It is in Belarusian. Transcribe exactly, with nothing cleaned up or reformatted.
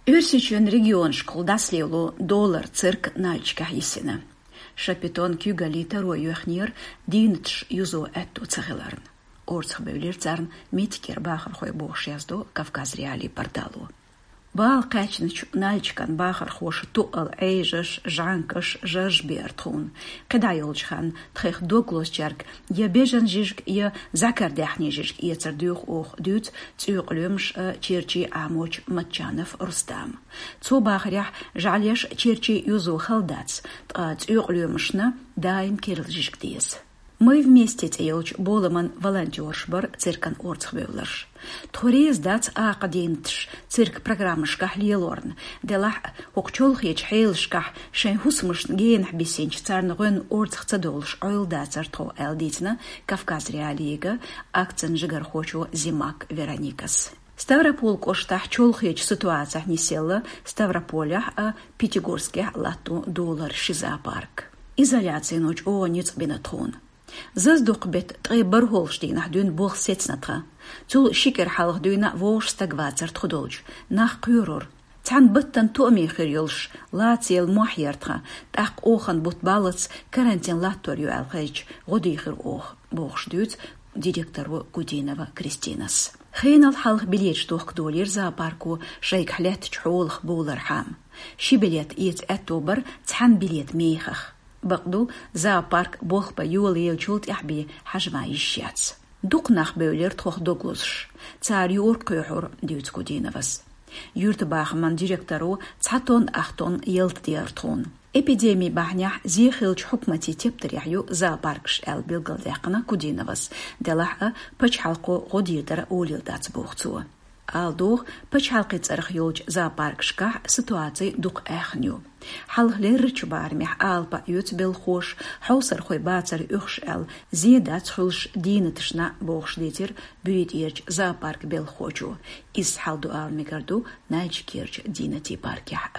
Őrsücsön region skol daslevlo dollar cirk nalchka hisina. Шапитон кюгали таро юхнир динтш юзо этто цагеларн. Орцх бевлерцарн миткер бахар хой бошяздо Кавказ реали порталу. Бал качныч нальчкан бахар хош туал эйжеш жанкаш жажбертхун. Кедайолчхан тхех доглосчарк я бежен жижк я закардяхни жижк я цардюх ох дюц цюклюмш черчи амоч матчанов Рустам. Цо бахарях жалеш черчи юзу халдац цюклюмшна даим кирл жижк диес. Мы вместе тейлч болыман волонтершбар циркан орцхбевларш. Тхорез дац аакадентш цирк программашках лиелорн. Делах хокчолх еч хейлшках шен хусмышн генх бисенч царнығын орцхцадолш ойл дацар тхо элдитна Кавказ реалиега акцен жигар хочу зимак Вероникас. Ставрополь коштах чолхеч ситуация несела Ставрополях а Пятигорских лату доллар шизапарк. Изоляция ночь о ниц бенатхон. Заздук бет требар холштейнах дюн бог сецнатра. Цул шикер халх дюна вош стагвацар тхудолж. Нах кюрор. Цан баттан туами хирюлш. Лациел мухьертра. Так охан бутбалац карантин латторю алхайч. Годихир ох. Богш дюц директору Гудинова Кристинас. Хейнал халх билет тух доллар зоопарку шейк хлет чхолх булар хам. Ши билет иец этобар цан билет мейхах. بقدو زاپارک بخ با یولی چولت احبی حجمایش یاц. دوقناخ بولر تخ دوگلوش. تار یور قیحور دیوت کودینوس. یورت باخمان دیرکترو تاتون اختون یلت دیارتون. اپیدمی بحنیح زیخیلچ حکمتی تبتریحیو زاپارکش ال بیلگل دیقنا کودینوس. دلح پچ حلقو غدیردر اولیل دات بوختو. Алдох пачалкит цархёлч зоопаркшка ситуации дук эхню. Халхлерч бармих алпа ют белхош, хаусар хой бацар юхш эл, зиедат хулш динетшна бохшлитер, бюит ерч зоопарк белхочу. Из халду ал мигарду найч кирч динети паркях.